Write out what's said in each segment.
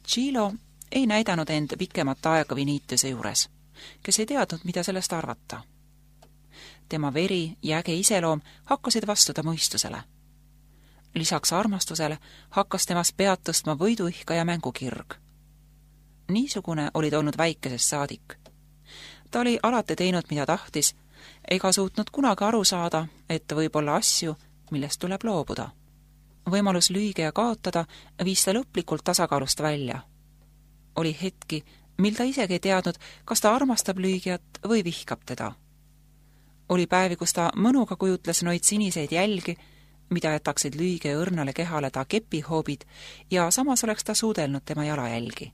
Tšilo ei näidanud end pikemat aega Vinitiuse juures, kes ei teadnud, mida sellest arvata. Tema veri ja äge iseloom hakkasid vastuda mõistusele. Lisaks armastusele hakkas temas pead tõstma võiduihka ja mängukirg. Niisugune oli ta olnud väikesest saadik. Ta oli alati teinud, mida tahtis, ega suutnud kunagi aru saada, et võib olla asju, millest tuleb loobuda. Võimalus lüüge ja kaotada viis ta lõplikult tasakaalust välja. Oli hetki, mil ta isegi ei teadnud, kas ta armastab lüügijat või vihkab teda. Oli päevi, kus ta mõnuga kujutles noid siniseid jälgi, mida jätaksid lüüge õrnale kehale ta kepihoobid ja samas oleks ta suudelnud tema jalajälgi.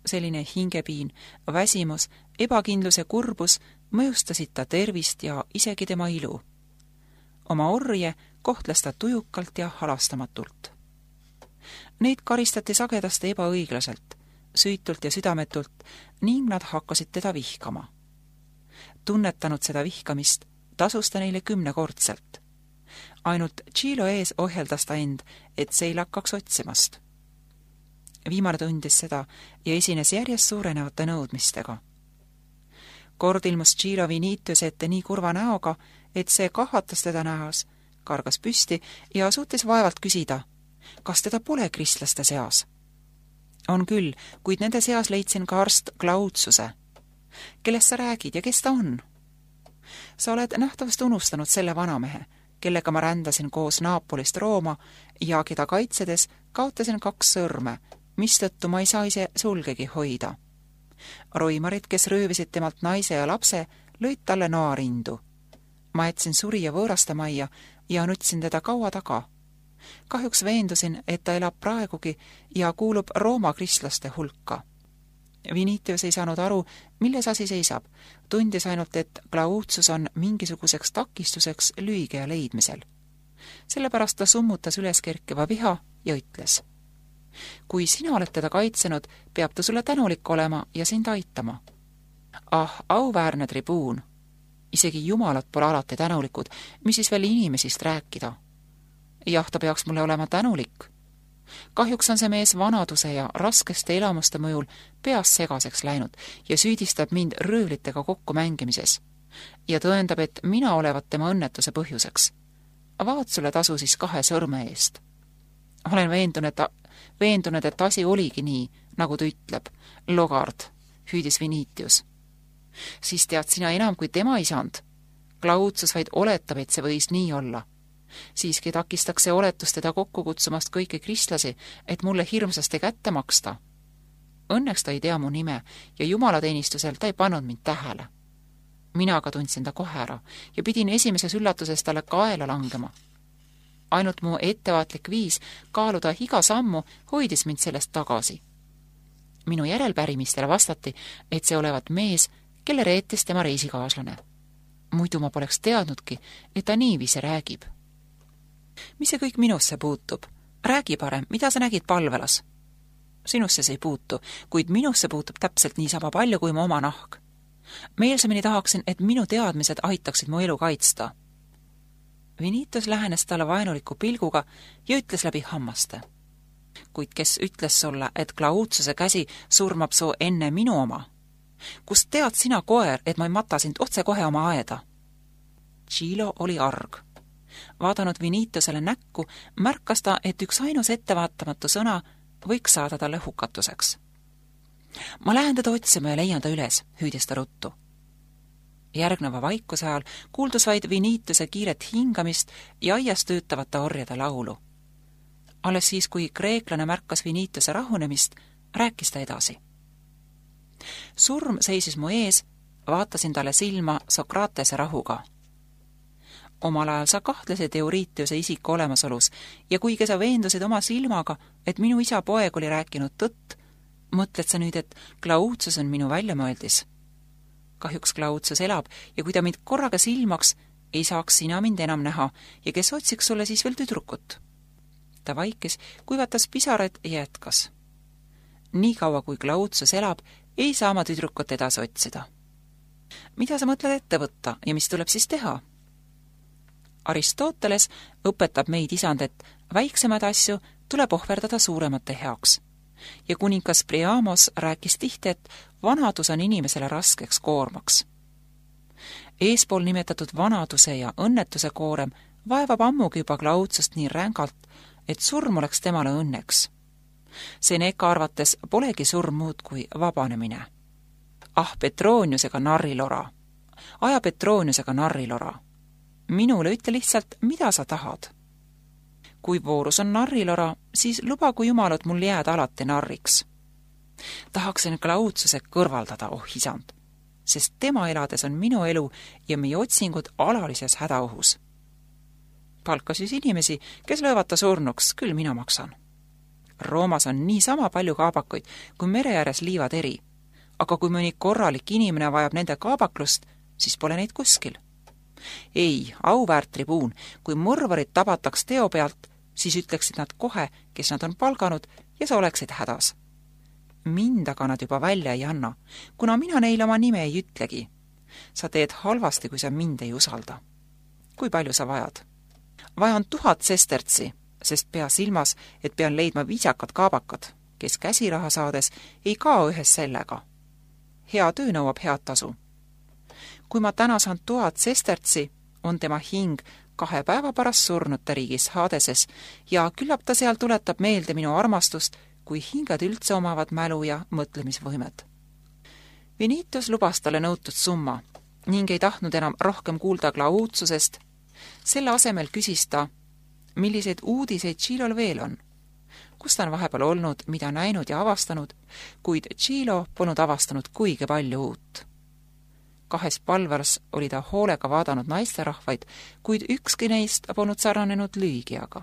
Selline hingepiin, väsimus, ebakindlus ja kurbus mõjustasid ta tervist ja isegi tema ilu. Oma orje kohtles ta tujukalt ja halastamatult. Neid karistati sagedasti ebaõiglaselt, süütult ja südametult ning nad hakkasid teda vihkama. Tunnetanud seda vihkamist, tasus ta neile 10-kordselt. Ainult Tšilo ees ohjeldas ta end, et see ei lakkaks otsimast. Viimane tundis seda ja esines järjest suurenevate nõudmistega. Kord ilmus Tšilo Vinitiuse ette nii kurva näoga, et see kahvatas teda näos, kargas püsti ja suutis vaevalt küsida, kas teda pole kristlaste seas. On küll, kuid nende seas leidsin ka arst Glautsuse. Kellest sa räägid ja kes ta on? Sa oled nähtavast unustanud selle vanamehe, kellega ma rändasin koos Naapolist Rooma ja keda kaitsedes kaotasin 2 sõrme, mistõttu ma ei saa ise sulgegi hoida. Roimarid, kes röövisid temalt naise ja lapse, lõid talle noarindu. Ma jätsin surija võõraste majja ja nutsin teda kaua taga. Kahjuks veendusin, et ta elab praegugi ja kuulub Rooma kristlaste hulka. Vinitius ei saanud aru, milles asi seisab, tundis ainult, et Glautsus on mingisuguseks takistuseks lüügeja leidmisel. Sellepärast ta summutas üles kerkiva viha ja ütles: kui sina oled teda kaitsenud, peab ta sulle tänulik olema ja sind aitama. Ah, auväärne tribuun! Isegi jumalad pole alati tänulikud, mis siis veel inimesist rääkida. Jah, ta peaks mulle olema tänulik. Kahjuks on see mees vanaduse ja raskeste elamuste mõjul peas segaseks läinud ja süüdistab mind röövlitega kokku mängimises ja tõendab, et mina olevat tema õnnetuse põhjuseks. Vaat sulle tasu siis 2 sõrme eest. Olen veendunud, et asi oligi nii, nagu ta ütleb. Logard, hüüdis Vinitius. Siis tead sina enam kui tema isand. Glautsus vaid oletab, et see võis nii olla. Siiski takistaks see oletus teda kokku kutsumast kõiki kristlasi, et mulle hirmsasti kätte maksta. Õnneks ta ei tea mu nime ja jumalateenistusel ta ei pannud mind tähele. Mina aga tundsin ta kohe ära ja pidin esimeses üllatuses talle kaela langema. Ainult mu ettevaatlik viis kaaluda iga sammu hoidis mind sellest tagasi. Minu järelpärimistele vastati, et see olevat mees, kelle reetis tema reisikaaslane. Muidu ma poleks teadnudki, et ta niiviisi räägib. Mis see kõik minusse puutub? Räägi parem, mida sa nägid palvelas? Sinusse see ei puutu, kuid minusse puutub täpselt niisama palju kui mu oma nahk. Meelsamini tahaksin, et minu teadmised aitaksid mu elu kaitsta. Vinitius lähenes talle vaenuliku pilguga ja ütles läbi hammaste. Kuid kes ütles sulle, et Glautsuse käsi surmab su enne minu oma? Kust tead sina, koer, et ma ei mata sind otse kohe oma aeda? Tšilo oli arg. Vaadanud Vinitiusele näkku, märkas ta, et üks ainus ettevaatamatu sõna võiks saada talle hukatuseks. Ma lähen teda otsima ja leian ta üles, hüüdis ta ruttu. Järgneva vaikuse ajal kuuldus vaid Vinitiuse kiiret hingamist ja aias töötavate orjade laulu. Alles siis, kui kreeklane märkas Vinitiuse rahunemist, rääkis ta edasi. Surm seisis mu ees, vaatasin talle silma Sokratese rahuga. Omal ajal sa kahtlesid Euritiuse isiku olemasolus ja kuigi sa veendusid oma silmaga, et minu isa poeg oli rääkinud tõtt, mõtled sa nüüd, et Glautsus on minu väljamõeldis. Kahjuks Glautsus elab ja kui ta mind korraga silmaks, ei saaks sina mind enam näha ja kes otsiks sulle siis veel tüdrukut. Ta vaikis, kuivatas pisarad ja jätkas. Nii kaua kui Glautsus elab, ei saa ma tüdrukut edasi otsida. Mida sa mõtled ette võtta ja mis tuleb siis teha? Aristoteles õpetab meid isand, et väiksemaid asju tuleb ohverdada suuremate heaks ja kuningas Priamos rääkis tihti, et vanadus on inimesele raskeks koormaks. Eespool nimetatud vanaduse ja õnnetuse koorem vaevab ammugi juba Glaudsust nii rängalt, et surm oleks temale õnneks. Seneca arvates polegi surm muud kui vabanemine. Ah, Petroniusega narrilora! Aja Petroniusega narrilora! Minule ütle lihtsalt, mida sa tahad. Kui voorus on narrilora, siis lubagu jumalad mul jääda alati narriks. Tahaksin Glaudsuse kõrvaldada, oh isand, sest tema elades on minu elu ja meie otsingud alalises hädaohus. Palka siis inimesi, kes löövad ta surnuks, küll mina maksan. Roomas on niisama palju kaabakuid, kui mere ääres liivad eri, aga kui mõni korralik inimene vajab nende kaabaklust, siis pole neid kuskil. Ei, auväärt tribuun, kui mõrvarid tabataks teo pealt, siis ütleksid nad kohe, kes nad on palganud, ja sa oleksid hädas. Mind aga nad juba välja ei anna, kuna mina neile oma nime ei ütlegi. Sa teed halvasti, kui sa mind ei usalda. Kui palju sa vajad? Vajan 1000 sestertsi, sest pea silmas, et pean leidma viisakad kaabakad, kes käsiraha saades ei kao ühes sellega. Hea töö nõuab head tasu. Kui ma täna saan 1000 sestertsi, on tema hing 2 päeva pärast surnute riigis Hadeses ja küllap ta seal tuletab meelde minu armastust, kui hingad üldse omavad mälu ja mõtlemisvõimet. Vinitus lubas talle nõutud summa ning ei tahtnud enam rohkem kuulda Glaudsusest. Selle asemel küsis ta, milliseid uudiseid Tšilol veel on. Kus ta on vahepeal olnud, mida näinud ja avastanud, kuid Tšilo polnud avastanud kuigi palju uut. 2 palvers oli ta hoolega vaadanud naisterahvaid, kuid ükski neist polnud sarnanenud Lüügiaga.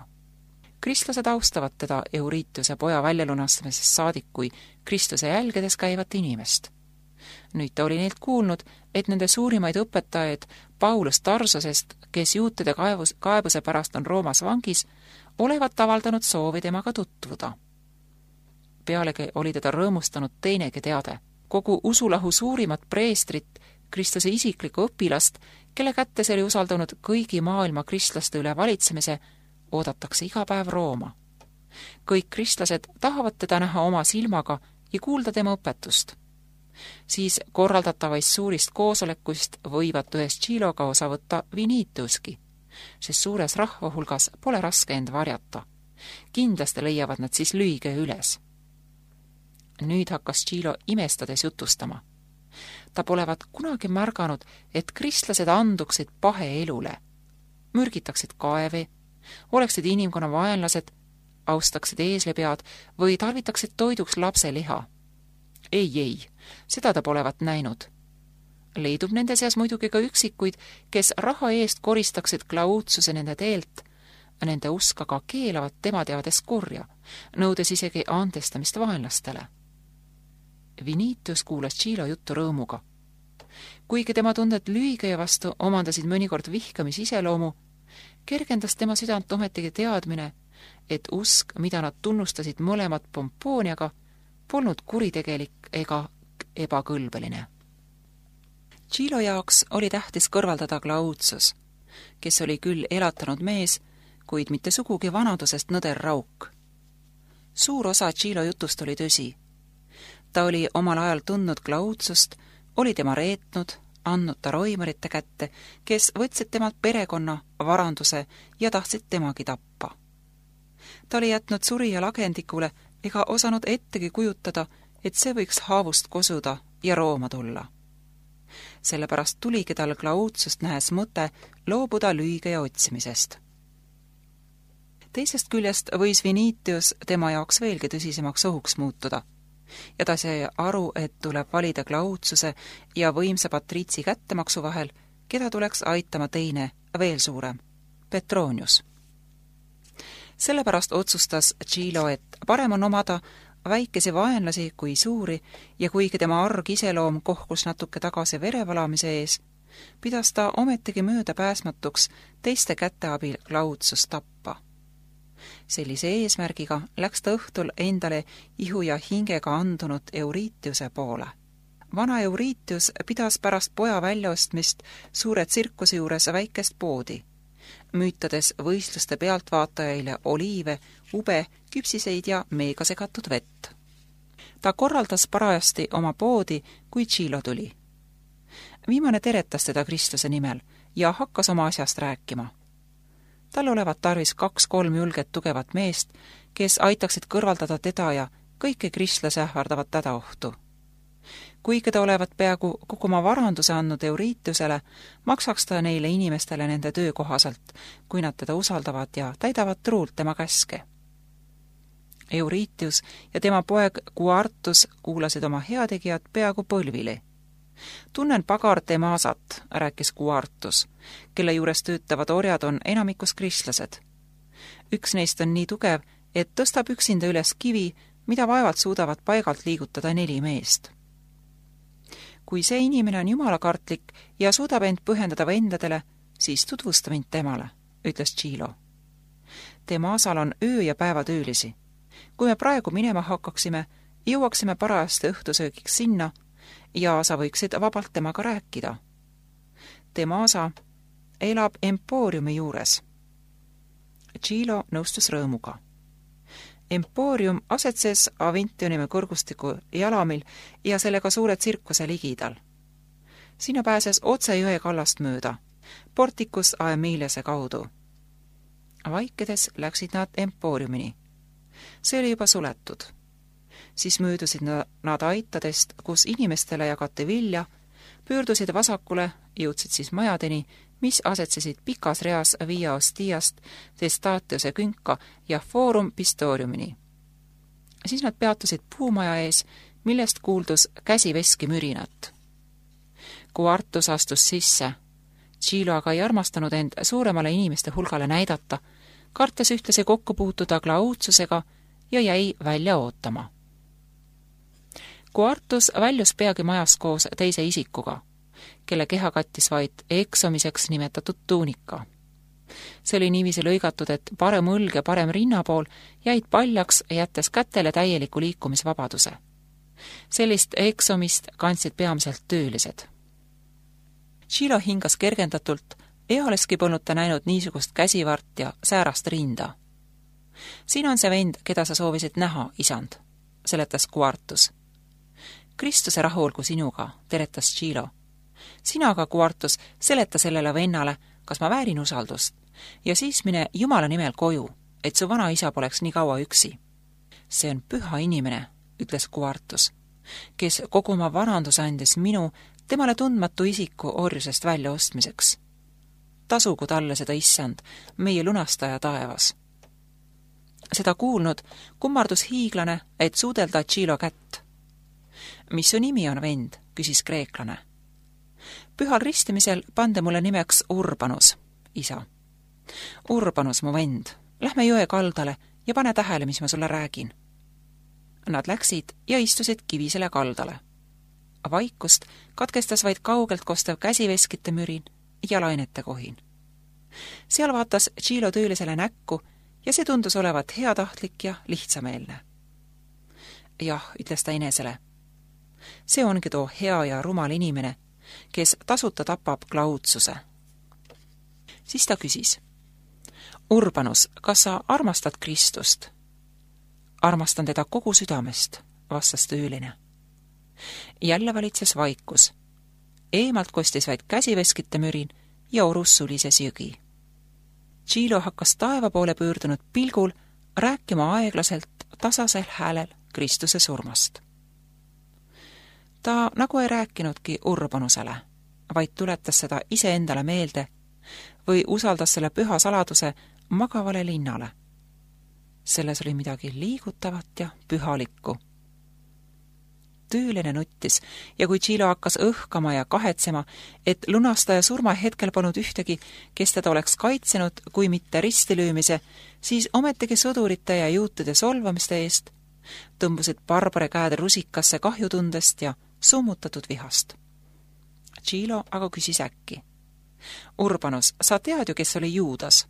Kristlased austavad teda Euritiuse poja väljalunastamisest saadik kui Kristuse jälgedes käivat inimest. Nüüd ta oli neilt kuulnud, et nende suurimaid õpetajaid Paulus Tarsosest, kes juutide kaebuse pärast on Roomas vangis, olevat avaldanud soovi temaga tutvuda. Pealegi oli teda rõõmustanud teinegi teade. Kogu usulahu suurimat preestrit, Kristuse isiklikku õpilast, kelle kätte see oli usaldanud kõigi maailma kristlaste üle valitsemise, oodatakse iga päev Rooma. Kõik kristlased tahavad teda näha oma silmaga ja kuulda tema õpetust. Siis korraldatavaist suurist koosolekuist võivad ühes Tšiloga osa võtta Vinituski, sest suures rahva hulgas pole raske end varjata. Kindlasti leiavad nad siis Lüüge üles. Nüüd hakkas Tšilo imestades jutustama. Ta polevat kunagi märganud, et kristlased anduksid pahe elule, mürgitaksid kaevi, oleksid inimkonna vaenlased, austaksid eeslepead või tarvitaksid toiduks lapse liha. Ei, seda ta polevat näinud. Leidub nende seas muidugi ka üksikuid, kes raha eest koristaksid Glaudsuse nende teelt, nende usk aga keelavat tema teades kurja, nõudes isegi andestamist vaenlastele. Vinitus kuulas Tšilo juttu rõõmuga. Kuigi tema tunded Lüüge vastu omandasid mõnikord vihkamis iseloomu, kergendas tema südant ometigi teadmine, et usk, mida nad tunnustasid mõlemad Pompooniaga, polnud kuritegelik ega ebakõlbeline. Tšilo jaoks oli tähtis kõrvaldada Glaudsus, kes oli küll elatanud mees, kuid mitte sugugi vanadusest nõder rauk. Suur osa Tšilo jutust oli tõsi. Ta oli omal ajal tundnud Glaudsust, oli tema reetnud, andnud ta roimarite kätte, kes võtsid temalt perekonna, varanduse ja tahtsid temagi tappa. Ta oli jätnud surija lagendikule ega osanud ettegi kujutada, et see võiks haavust kosuda ja Rooma tulla. Sellepärast tuligi tal Glaudsust nähes mõte loobuda Lüügeja otsimisest. Teisest küljest võis Vinitius tema jaoks veelgi tõsisemaks ohuks muutuda, ja ta sai aru, et tuleb valida Glaudsuse ja võimsa patriitsi kättemaksu vahel, keda tuleks aitama teine, veel suurem, Petronius. Sellepärast otsustas Tšilo, et parem on omada väikesi vaenlasi kui suuri ja kuigi tema arg iseloom kohkus natuke tagasi verevalamise ees, pidas ta ometigi möödapääsmatuks teiste käte abil Glaudsust tappa. Sellise eesmärgiga läks ta õhtul endale ihu ja hingega andunud Euritiuse poole. Vana Euritius pidas pärast poja väljaostmist suure tsirkuse juures väikest poodi, müütades võistluste pealtvaatajaile oliive, ube, küpsiseid ja meega segatud vett. Ta korraldas parajasti oma poodi, kui Tšilo tuli. Viimane teretas teda Kristuse nimel ja hakkas oma asjast rääkima. Tal olevat tarvis 2-3 julget tugevat meest, kes aitaksid kõrvaldada teda ja kõike kristlase ähvardavat hädaohtu. Kuigi ta olevat peaaegu kogu oma varanduse andnud Euriitusele, maksaks ta neile inimestele nende töö kohaselt, kui nad teda usaldavad ja täidavad truult tema käske. Euriitius ja tema poeg Kuartus kuulasid oma heategijat peaaegu põlvili. Tunnen pagar Demasat, rääkis Kuartus, kelle juures töötavad orjad on enamikus kristlased. Üks neist on nii tugev, et tõstab üksinda üles kivi, mida vaevalt suudavad paigalt liigutada 4 meest. Kui see inimene on jumalakartlik ja suudab end põhjendada vendadele, siis tutvusta mind temale, ütles Tšilo. Demasal on öö- ja päevatöölisi. Kui me praegu minema hakkaksime, jõuaksime parajasti õhtusöögiks sinna ja sa võiksid vabalt temaga rääkida. Demasa elab Empooriumi juures. Tšilo nõustus rõõmuga. Empoorium asetses Avintioniumi kõrgustiku jalamil ja sellega suure tsirkuse ligidal. Sinna pääses otse jõe kallast mööda, portikus Aemiliase kaudu. Vaikides läksid nad Empooriumini. See oli juba suletud. Siis möödusid nad aitadest, kus inimestele jagati vilja, pöördusid vasakule, jõudsid siis majadeni, mis asetsesid pikas reas Via Ostiast, Testatiose künka ja Forum Pistoriumini. Siis nad peatusid puumaja ees, millest kuuldus käsiveski mürinat. Kuartus astus sisse. Tšilo aga ei armastanud end suuremale inimeste hulgale näidata, kartes ühtlasi kokku puutuda Klaudsusega ja jäi välja ootama. Kuartus väljus peagi majas koos teise isikuga, kelle keha kattis vaid eksomiseks nimetatud tuunika. See oli niiviisi lõigatud, et parem õlg ja parem rinnapool jäid paljaks, jättes kätele täieliku liikumisvabaduse. Sellist eksomist kandsid peamiselt töölised. Tšilo hingas kergendatult, ealeski polnud ta näinud niisugust käsivart ja säärast rinda. Siin on see vend, keda sa soovisid näha, isand, seletas Kuartus. Kristuse rahu olgu sinuga, teretas Tšilo. Sina aga, Kuartus, seleta sellele vennale, kas ma väärin usaldust, ja siis mine Jumala nimel koju, et su vana isa poleks nii kaua üksi. See on püha inimene, ütles Kuartus, kes kogu oma varandus andis minu, temale tundmatu isiku orjusest välja ostmiseks. Tasugu talle seda issand, meie lunastaja taevas. Seda kuulnud kummardus hiiglane, et suudelda Tšilo kätt. Mis su nimi on, vend, küsis kreeklane. Pühal ristimisel pande mulle nimeks Urbanus, isa. Urbanus, mu vend, lähme jõe kaldale ja pane tähele, mis ma sulle räägin. Nad läksid ja istusid kivisele kaldale. Vaikust katkestas vaid kaugelt kostev käsiveskite mürin ja lainete kohin. Seal vaatas Tšilo töölisele näkku ja see tundus olevat heatahtlik ja lihtsameelne. Jah, ütles ta inesele. See ongi too hea ja rumal inimene, kes tasuta tapab Klaudsuse. Siis ta küsis. Urbanus, kas sa armastad Kristust? Armastan teda kogu südamest, vastas tööline. Jälle valitses vaikus. Eemalt kostis vaid käsiveskite mürin ja orus sulises jõgi. Tšilo hakkas taeva poole pöördunud pilgul rääkima aeglaselt tasasel häälel Kristuse surmast. Ta nagu ei rääkinudki Urbanusele, vaid tuletas seda iseendale meelde või usaldas selle püha saladuse magavale linnale. Selles oli midagi liigutavat ja pühalikku. Tööline nuttis ja kui Tšilo hakkas õhkama ja kahetsema, et lunastaja surma hetkel polnud ühtegi, kes teda oleks kaitsenud, kui mitte ristilöömise, siis ometigi sõdurite ja juutide solvamiste eest tõmbusid barbare käed rusikasse kahjutundest ja summutatud vihast. Tšilo aga küsis äkki. Urbanus, sa tead ju, kes oli Juudas?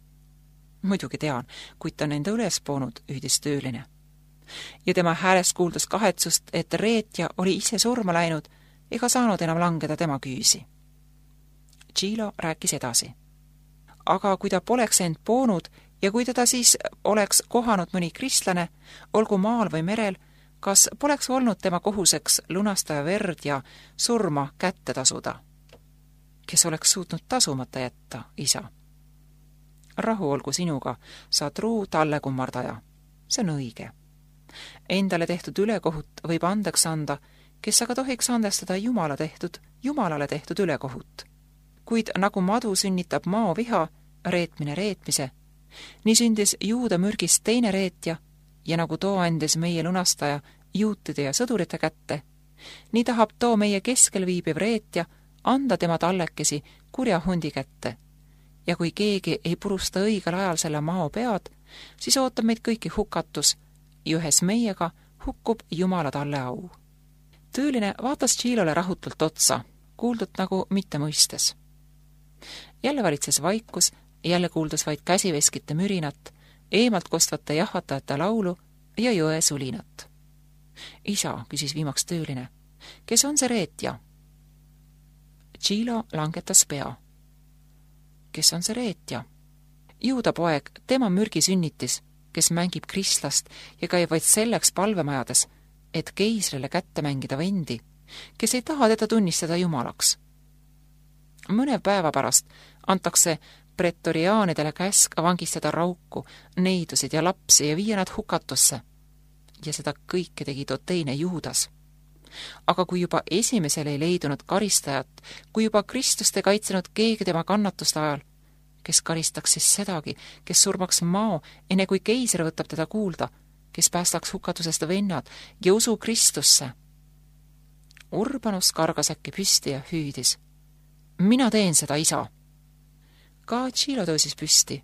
Muidugi tean, kuid ta on enda üles poonud, ühdis tööline. Ja tema häälest kuuldus kahetsust, et reetja oli ise surma läinud ega saanud enam langeda tema küüsi. Tšilo rääkis edasi. Aga kui ta poleks end poonud ja kui teda siis oleks kohanud mõni kristlane, olgu maal või merel, kas poleks olnud tema kohuseks lunastaja verd ja surma kätte tasuda? Kes oleks suutnud tasumata jätta, isa? Rahu olgu sinuga, sa truu talle kummardaja. See on õige. Endale tehtud ülekohut võib andeks anda, kes aga tohiks andestada Jumalale tehtud ülekohut. Kuid nagu madu sünnitab mao viha, reetmine reetmise, nii sündis Juuda mürgist teine reetja ja nagu too andis meie lunastaja juutide ja sõdurite kätte, nii tahab too meie keskel viibiv reetja anda tema tallekesi kurja hundi kätte. Ja kui keegi ei purusta õigel ajal selle mao pead, siis ootab meid kõiki hukatus ja ühes meiega hukkub Jumala talle au. Tööline vaatas Tšilole rahutult otsa, kuuldud nagu mitte mõistes. Jälle valitses vaikus, jälle kuuldus vaid käsiveskite mürinat, eemalt kostvate jahvatajate laulu ja jõe sulinat. Isa, küsis viimaks tööline, kes on see reetja? Tšilo langetas pea. Kes on see reetja? Juuda poeg, tema mürgi sünnitis, kes mängib kristlast ja käib vaid selleks palvemajades, et keisrile kätte mängida vendi, kes ei taha teda tunnistada jumalaks. Mõne päeva pärast antakse pretoriaanidele käsk vangistada rauku, neidusid ja lapsi ja viia nad hukatusse. Ja seda kõike tegi too teine Juudas. Aga kui juba esimesel ei leidunud karistajat, kui juba Kristust ei kaitsenud keegi tema kannatuste ajal, kes karistaks siis sedagi, kes surmaks mao, enne kui keiser võtab teda kuulda, kes päästaks hukatusest vennad ja usu Kristusse. Urbanus kargas äkki püsti ja hüüdis. Mina teen seda, isa. Ka Tšilo tõusis püsti,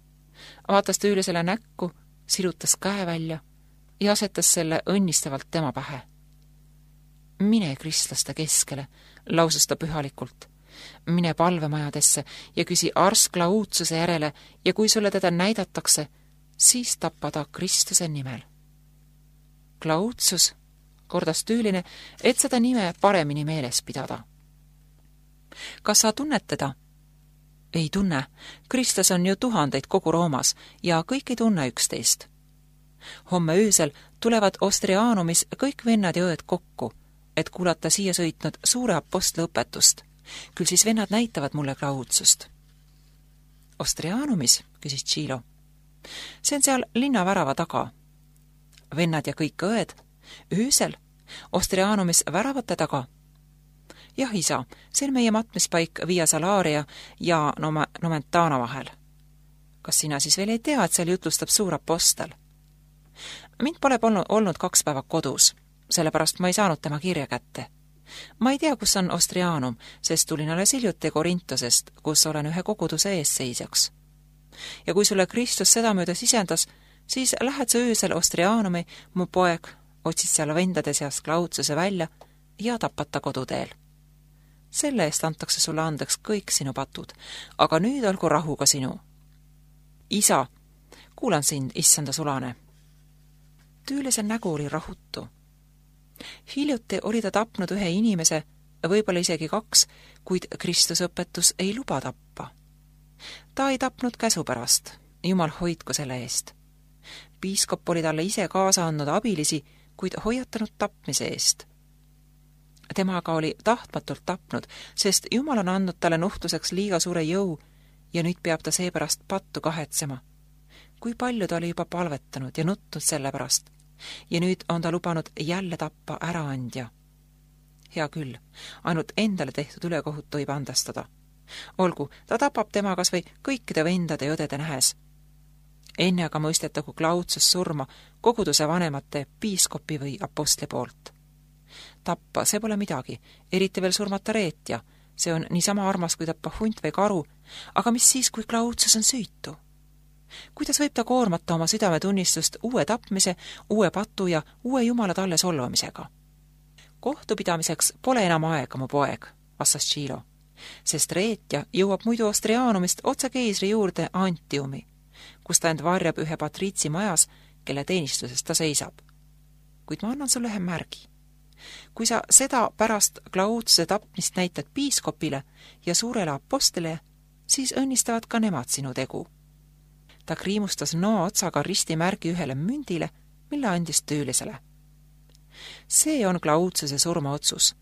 vaatas töölisele näkku, silutas käe välja ja asetas selle õnnistavalt tema pähe. Mine kristlaste keskele, lausus ta pühalikult. Mine palvemajadesse ja küsi arskla uudsuse järele ja kui sulle teda näidatakse, siis tappa ta Kristuse nimel. Klautsus, kordas tüüline, et seda nime paremini meeles pidada. Kas sa tunned teda? Ei tunne. Kristus on ju tuhandeid kogu Roomas ja kõik ei tunne üksteist. Homme öösel tulevad Ostriaanumis kõik vennad ja õed kokku, et kuulata siia sõitnud suure apostli õpetust. Küll siis vennad näitavad mulle Klautsust. Ostriaanumis, küsis Tšilo. See on seal linnavärava taga. Vennad ja kõik õed, öösel, Ostriaanumis väravate taga. Jah, isa, see on meie matmispaik Via Salaria ja Nomentana vahel. Kas sina siis veel ei tea, et seal jutlustab suur apostel? Mind pole olnud 2 päeva kodus, sellepärast ma ei saanud tema kirja kätte. Ma ei tea, kus on Ostriaanum, sest tulin alles hiljuti Korintosest, kus olen ühe koguduse eesseisjaks. Ja kui sulle Kristus sedamööda sisendas, siis lähed sa öösel Ostriaanumi, mu poeg, otsid seal vendade seast Klautsuse välja ja tapad ta koduteel. Selle eest antakse sulle andeks kõik sinu patud, aga nüüd olgu rahuga sinu. Isa, kuulan sind, issanda sulane. Tüülise nägu oli rahutu. Hiljuti oli ta tapnud ühe inimese, võib-olla isegi 2, kuid Kristusõpetus ei luba tappa. Ta ei tapnud käsu pärast, Jumal hoidku selle eest. Piiskop oli talle ise kaasa andnud abilisi, kuid hoiatanud tapmise eest. Tema aga oli tahtmatult tapnud, sest Jumal on andnud talle nuhtluseks liiga suure jõu ja nüüd peab ta seepärast pattu kahetsema. Kui palju ta oli juba palvetanud ja nutnud selle pärast ja nüüd on ta lubanud jälle tappa äraandja. Hea küll, ainult endale tehtud ülekohut võib andestada. Olgu, ta tapab tema kas või kõikide vendade ja õdede nähes. Enne aga mõistetagu Klautsus surma koguduse vanemate, piiskopi või apostli poolt. Tappa, see pole midagi, eriti veel surmata reetja, see on niisama armas kui tappa hunt või karu, aga mis siis, kui Klautsus on süütu? Kuidas võib ta koormata oma südametunnistust uue tapmise, uue patu ja uue Jumala talle solvamisega? Kohtupidamiseks pole enam aega, mu poeg, vastas Tšilo, sest reetja jõuab muidu Ostriaanumist otse keisri juurde Antiumi, kus ta end varjab ühe patriitsi majas, kelle teenistuses ta seisab. Kuid ma annan sulle ühe märgi. Kui sa seda pärast Klautsuse tapmist näitad piiskopile ja suurele apostlile, siis õnnistavad ka nemad sinu tegu. Ta kriimustas noa otsaga ristimärgi ühele mündile, mille andis tüülisele. See on Klaudsuse surmaotsus.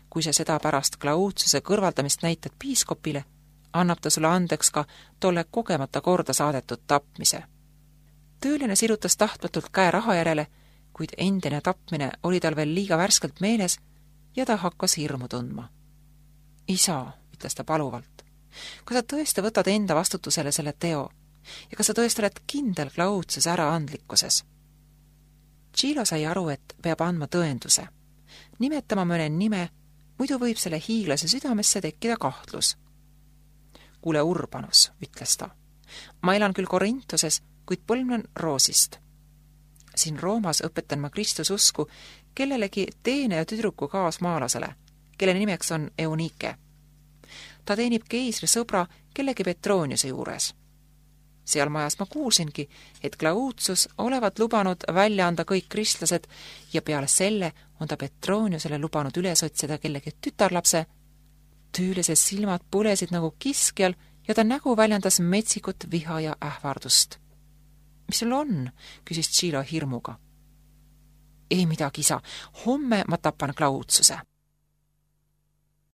Kui sa seda pärast Klaudsuse kõrvaldamist näitad piiskopile, annab ta sulle andeks ka tolle kogemata korda saadetud tapmise. Tööline sirutas tahtmatult käe raha järele, kuid endine tapmine oli tal veel liiga värskelt meeles ja ta hakkas hirmu tundma. Isa, ütles ta paluvalt, kas sa tõesti võtad enda vastutusele selle teo ja kas sa tõesti oled kindel Klaudsuse äraandlikkuses? Tšilo sai aru, et peab andma tõenduse. Nimetama mõne nime, muidu võib selle hiiglase südamesse tekkida kahtlus. Kuule, Urbanus, ütles ta. Ma elan küll Korintuses, kuid põlvnen Roosist. Siin Roomas õpetan ma Kristususku kellelegi teeneja tüdruku kaasmaalasele, kelle nimeks on Eunike. Ta teenib keisri sõbra kellegi Petroniuse juures. Seal majas ma kuulsingi, et Klaudsus olevat lubanud välja anda kõik kristlased ja peale selle on ta Petroniusele lubanud üles otsida kellegi tütarlapse. Tüülised silmad põlesid nagu kiskjal ja ta nägu väljendas metsikut viha ja ähvardust. Mis sul on? Küsis Tšilo hirmuga. Ei midagi, isa. Homme ma tapan Klaudsuse.